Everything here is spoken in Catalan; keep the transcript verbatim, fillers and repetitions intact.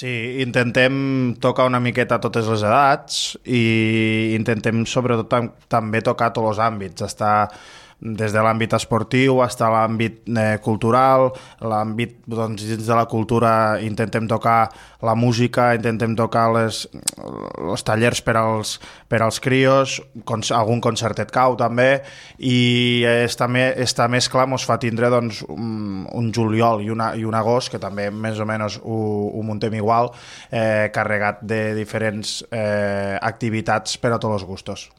Sí, intentem tocar una miqueta a totes les edats i intentem sobretot tam també tocar tots els àmbits, estar des de l'àmbit esportiu fins a l'àmbit eh, cultural, l'àmbit, doncs, dins de la cultura intentem tocar la música, intentem tocar les, els tallers per als, per als crios, con, algun concertet cau també, i esta, me, esta mescla ens fa tindre doncs, un, un juliol i, una, i un agost, que també més o menys ho, ho muntem igual, eh, carregat de diferents eh, activitats per a tots els gustos.